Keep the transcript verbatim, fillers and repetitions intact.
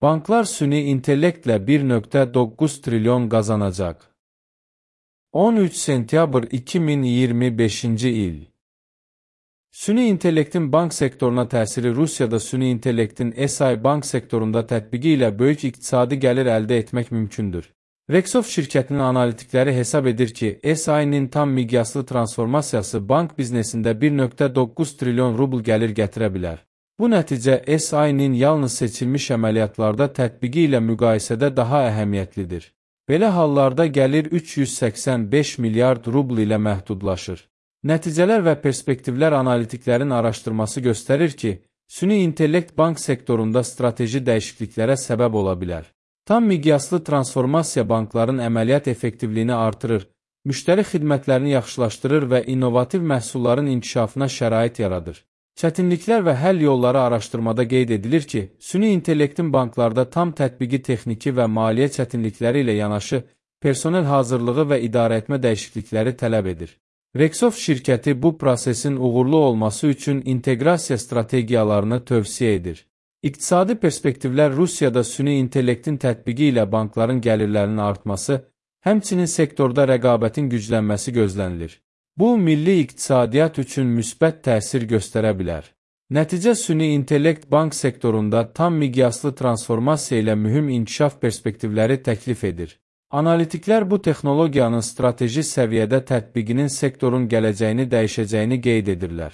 Banklar süni intellektlə bir nöqtə doqquz trilyon qazanacaq. on üç sentyabr iki min iyirmi beşinci il. Süni intellektin bank sektoruna təsiri Rusiyada süni intellektin S I bank sektorunda tətbiqi ilə böyük iqtisadi gəlir əldə etmək mümkündür. Rexov şirkətinin analitikləri hesab edir ki, S I-nin tam miqyaslı transformasiyası bank biznesində bir nöqtə doqquz trilyon rubl gəlir gətirə bilər. Bu nəticə S I-nin yalnız seçilmiş əməliyyatlarda tətbiqi ilə müqayisədə daha əhəmiyyətlidir. Belə hallarda gəlir üç yüz səksən beş milyard rubl ilə məhdudlaşır. Nəticələr və perspektivlər analitiklərin araşdırması göstərir ki, süni intellekt bank sektorunda strateji dəyişikliklərə səbəb ola bilər. Tam miqyaslı transformasiya bankların əməliyyat effektivliyini artırır, müştəri xidmətlərini yaxşılaşdırır və innovativ məhsulların inkişafına şərait yaradır. Çətinliklər və həll yolları araşdırmada qeyd edilir ki, süni intellektin banklarda tam tətbiqi texniki və maliyyə çətinlikləri ilə yanaşı, personel hazırlığı və idarəetmə dəyişiklikləri tələb edir. Rexov şirkəti bu prosesin uğurlu olması üçün inteqrasiya strategiyalarını tövsiyə edir. İqtisadi perspektivlər Rusiyada süni intellektin tətbiqi ilə bankların gəlirlərinin artması, həmçinin sektorda rəqabətin güclənməsi gözlənilir. Bu, milli iqtisadiyyat üçün müsbət təsir göstərə bilər. Nəticə süni intellekt bank sektorunda tam miqyaslı transformasiya ilə mühüm inkişaf perspektivləri təklif edir. Analitiklər bu texnologiyanın strateji səviyyədə tətbiqinin sektorun gələcəyini dəyişəcəyini qeyd edirlər.